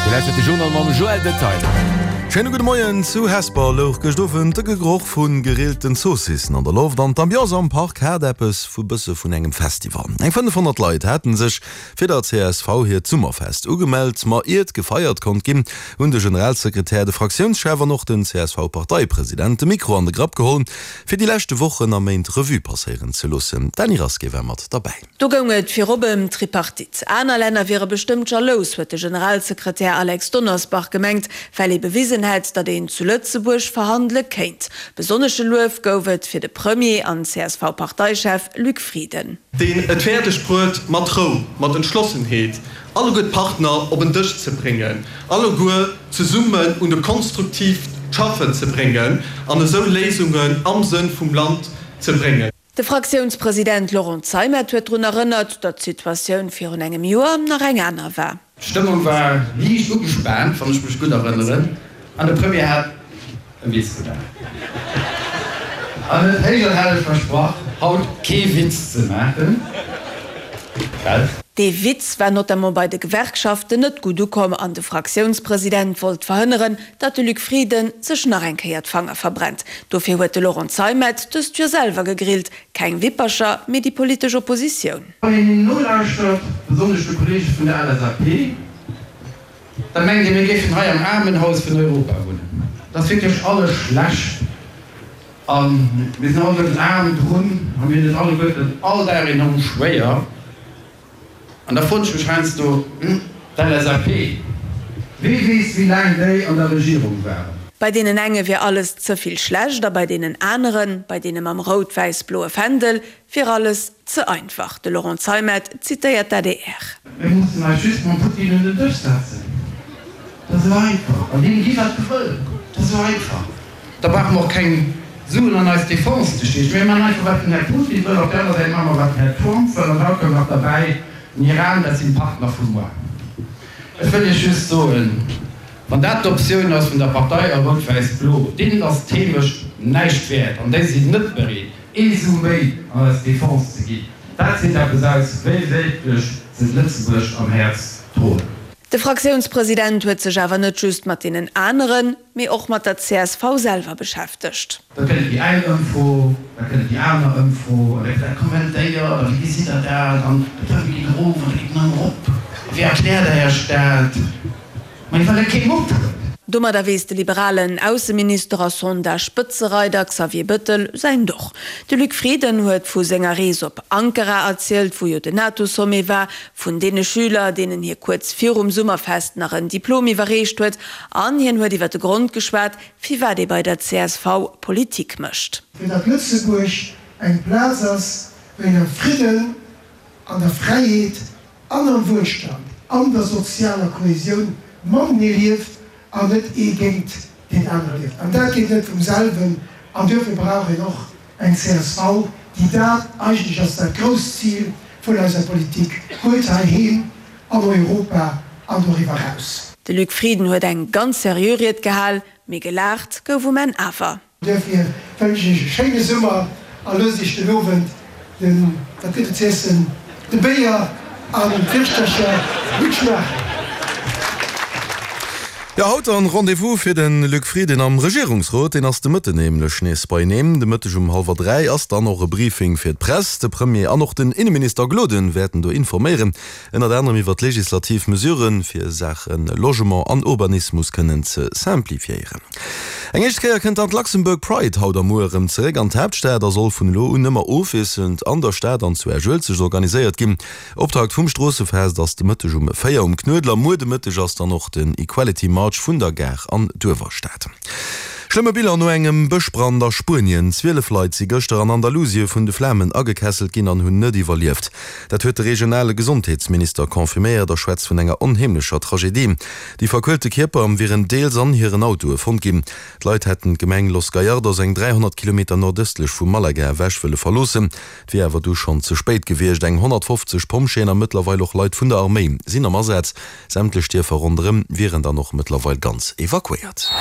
Dir lauschtert de Journal mam Joël Detaille. Schéine gudde Moien. Zu Hesper louch gëscht Owend de Geroch vu gerillten Zoossissen an der Loft an d'Ambiance am Park hat eppes vu bësse vun engem Festival. Eng 500 Leit haten sech fir der csv hiert Summerfest ugemellt. Ma iert gefeiert konnt ginn, hunn de Generalsekretär, de Fraktiounschef an och den CSV-Parteipresident de Mikro an de Grapp geholl, fir déi leschte Wochen a Méint Revue passéieren ze loossen. D'Dany Rasqué war mat derbäi. Do goung et virop ëm d'Tripartite. Aner Länner wiere bestëmmt jalous, huet de Generalsekretär Alex Donnersbach gemengt, well ee bewisen hätt, datt een zu Lëtzebuerg verhandele kéint. Besonnesche Luef gouf et fir de Premier an CSV-Parteichef Luc Frieden. Deen et fäerdeg bruet, mat Rou, mat Entschlossenheet alleguer d'Partner op en Dësch ze bréngen, alleguer zesummen un e konstruktiivt Schaffen ze bréngen an esou Léisungen am Sënn vum Land ze bréngen. De Fraktiounspresident Laurent Zeimet huet drun erënnert, datt d'Situatioun virun engem Joer nach eng aner war. D'Stëmmung war liicht ugespaant, wann ech mech gutt erënneren, an de Premier hat e Witz gemaach an huet héich an helleg versprach, haut kee Witz ze maachen. Well. Dee Witz war notamment bei de Gewerkschaften net gutt ukomm an de Fraktiounspresident wollt verhënneren, datt de Luc Frieden sech nach eng Kéier d'Fanger verbrennt. Dofir huet de Laurent Zeimet dëst Joer selwer gegrillt, keng Wippercher, mee déi politesch Oppositioun. Wann een hinnen nolauschtert, besonnesch de Kollege vun der LSAP, da mengt ee mir géifen hei am Aarmenhaus vun Europa wunnen. Et ass wierklech alles schlecht a mir sinn alleguerten aarm drun a mir hunn et alleguerten all Dag enorm schwéier. An da froen ech mech heiansdo, D'LSAP, wee weess wéi laang déi an der Regierung waren? Bei deenen enge wier alles ze vill schlecht a bei deenen aneren, bei deene mam rout-wäiss-bloe Fändel, wier alles ze einfach. De Laurent Zeimet zitéiert d'ADR. Mir mussen eis just mam Putin un den Dësch setzen. Dat ass esou einfach. An deem gi wat e wëll. Dat ass esou einfach. Da brauche mer och keng Suen an eis Defense ze stiechen. Mir maachen einfach, wat den Här Putin wëll. Op där aner Säit maache mer, wat den Här Trump wëll. An haut koum nach derbäi, den Iran, dat sinn d'Partner vu muer. Ech wëll Iech just soen, wann dat d'Optioun ass vun der Partei a Rout-Wäiss-Blo, deenen ass d'Heemecht näischt wäert an déi sinn net bereet, ee Su méi an eis Defense ze ginn. Dat seet eppes aus, wéi wierklech se Lëtzebuerg am Häerz droen. De Fraktiounspresident huet sech awer net just mat deenen aneren, mee och mat der csv selwer beschäftegt. Da kënnt déi eng Ëmfro, da kënnt déi aner Ëmfro an da gëtt dat kommentéiert a wéi gesitt Der dat an de Premier geet erof an da geet en erëm erop a wéi erkläert Der Iech dat? Mä well et kee Mupp huet. Domadder weess de liberalen Ausseminister a Sondage-Spëtzereider Xavier Bëttel säin Doch. De Luc Frieden huet vu senger Rees op Ankara erzielt, wou jo den NATO-Sommet war, vun deene Schüler, deenen hie kuerz virum Summerfest nach en Diplom iwwerreecht huet, an hien huet iwwer de Grond geschwat, firwat ee bei der csv Politik mécht. Fir datt Lëtzebuerg eng Plaz ass, wou een am Fridden, an der Fräiheet an am Wuelstand, an der sozialer Kohesioun matenee lieft an net ee géint deen anere lieft. An dat geet net vum selwen an duerfir brauch een och Eng csv, déi dat eigentlech als dat grousst Zil vun eiser Politik huet, heiheem, an Europa an doriwwer eraus. De Luc Frieden huet eng ganz seriö Ried gehal, mee gelaacht gouf um Enn awer. Duerfir wënschen ech Iech e schéine Summer a loosst Iech den Owend den, wat gëtt et z'iessen, de Béier an d'Wirschtercher gutt schmaachen. Jo, haut dann Rendez-vous fir den Luc Frieden am Regierungsrot. Deen ass de Mëtten nämlech nees beieneen. De Mëtteg um hallwer 3 ass dann och e Briefing fir d'Press. De Premier an och den Inneminister Gloden wäerten do informéieren, ënnert anerem iwwer d'legislativ Mesuren, fir Saache Logement an Urbanismus kënnen ze simplifiéieren. Eng éischt Kéier kënnt dann d'Luxembourg Pride haut a muer erëm zeréck an d'Haaptstad a soll vun elo un ëmmer ofwiesselnd an der Stad an zu Esch-Uelzecht organiséiert ginn. Optakt vum Stroossefest ass de Mëtteg um 4 um Knuedler. Muer de Mëtteg ass dann och den Equality March vun der Gare an d'Uewerstad. Schlëmme Biller no engem Bëschbrand a Spuenien, 12 Leit si gëschter an Andalusie vun de Flamen agekesselt ginn an hunn net iwwerlieft. Dat huet de regionale Gesondheetsminister confirméiert a schwätzt vun enger onheemlecher Tragedie. Déi verkuelte Kierper wieren deels an hiren Autoe fonnt ginn. D'Leit hätten d'Gemeng Los Gallardos, eng 300 Kilometer nordëstlech vu Malaga ewech, wëlle verloossen. Et wier awer du schonn ze spéit gewiescht. Eng 150 Pompjeeën a mëttlerweil och Leit vun der Arméi sinn am Asaz. Sämtlech Dierfer ronderëm wieren dann och mëttlerweil ganz evakuéiert.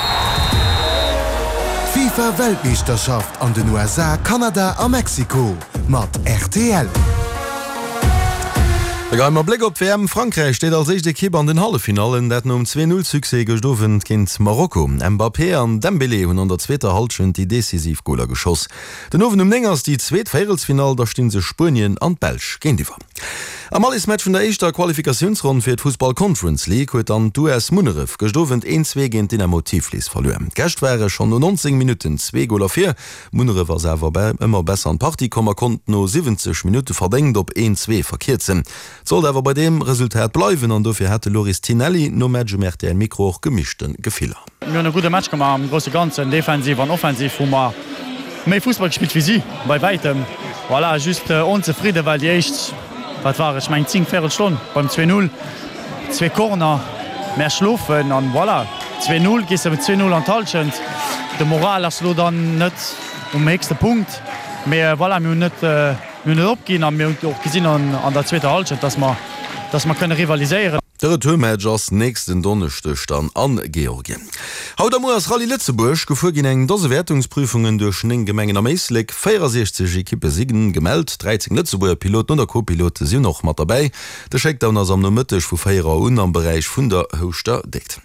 D'FIFA Weltmeeschterschaft an den USA, Kanada a Mexiko mat rtl. E geheimer Bléck op d'WM, Frankräich steet als éischt Ekipp an den Halleffinallen, dat nom 2, 0 Succès gëscht Owend géint Marokko. Mbappé an Dembélé hunn an der zweeter Hallschent déi decisiv Goler geschoss. Den Owend um 9 ass déi zweet Véierelsfinall, da sti sech Spuenien an d'Belsch géintiwwer. Am Allesmatch vun der éischter Qualifikatiounsronn fir d'Fussball Conference League huet dann d'US Munneref gëscht Owend 1, 2 géint Dynamo Tiflis verluer. D'Gäscht ware schonn no 19 Minutten zwee Goler vir, Munneref ass awer ëmmer besser an d'Partie komm a konnt no 70 Minutte verdéngt op een, zwee verkierzen. Et sollt awer bei deem Resultat bleiwen an dofir hat de Loris Tinelli nom Match um rtl Mikro och gemischte Gefiller. Mir hunn e gudde Match gemaach am grousse Ganzen. Defensiv an offensiv hu mer méi Fussball gespillt wéi si, bei wäitem. Voilà, just onzefridde well déi éischt, wat war et, ech mengen 10, véierel Stonn beim 2, 0, Zwee Corner, mär schlofen an voilà, 2, 0, gees de mat 2, 0 an d'Hallschent. De Moral ass elo dann net um héchste Punkt, mee voilà, mir hunn net, mir hunn net opginn a mir hunn och gesinn an der zweeter Hallschent, dass mer, dass mer kënne rivaliséieren. De Retourmatch ass nächsten Donneschdeg dann a Georgien. Haut a muer ass Rallye Lëtzebuerg gefuer ginn. Eng Dose Wäertungsprüfungen duerch 9 Gemengen am Éislek. 64 Ekippe si gemellt, 13 Lëtzebuerger Piloten oder Co-Pilote sinn och mat derbäi. De Shakedown ass am Nomëtteg vu 4 Auer un am Beräich vun der Houschter Déckt.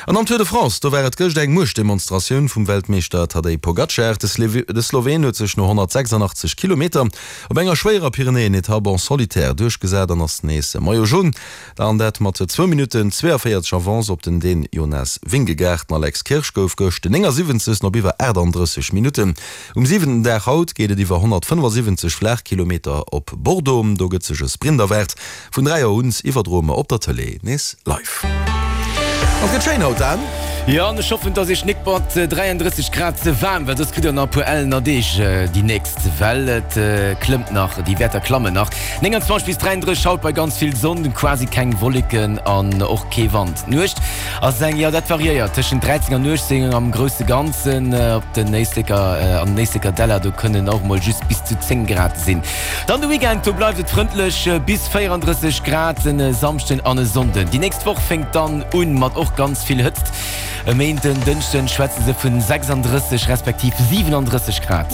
An am Tour de France, do war et gëscht eng Muechtdemonstratioun vum Weltmeeschter Tadej Pogacar. De Sloween huet sech no 186 Kilometer op enger schwéierer Pyrenäen-Etapp en solitaire duerchgesat an ass nees Maillot Jaune. An dat mat zwou Minutten 42 Avance op den Dän Jonas Vingegaard. Den Alex Kirsch gouf gëscht den 79. op iwwer 38 Minutten. Um siwenten Dag haut geet et iwwer 175 Flaachkilometer op Bordeaux. Do gëtt sech e Sprint erwaart. Vun 3 Auer un iwwerdroe mer op der Tëlee nees live. An et gëtt schéin haut, Dan. Jo, an ech hoffen, dass iech nik mat 33 Grad ze waarm well soss kritt der nach e puer ellener Deeg déi nächst, well et klëmmt nach, déi Wäerter klammen nach. 29 bis 33 haut bei ganz vill Sonn, quasi keng Wolleken an och kee Wand. D'Nuecht Ass eng, jo dat variéiert tëschent 13 an 18 am grousse Ganzen. Op den Éisleker, an den Éisleker Däller, do kënnen och mol just bis zu 10 Grad sinn. Dann de Weekend, do bleift et frëndlech, bis 34 Grad en Samschden an e Sonnden. Déi nächst Woch fänkt dann un mat och ganz vill Hëtzt. E Méinden, Dënschden schwätze se vun 36 respektiv 37 Grad.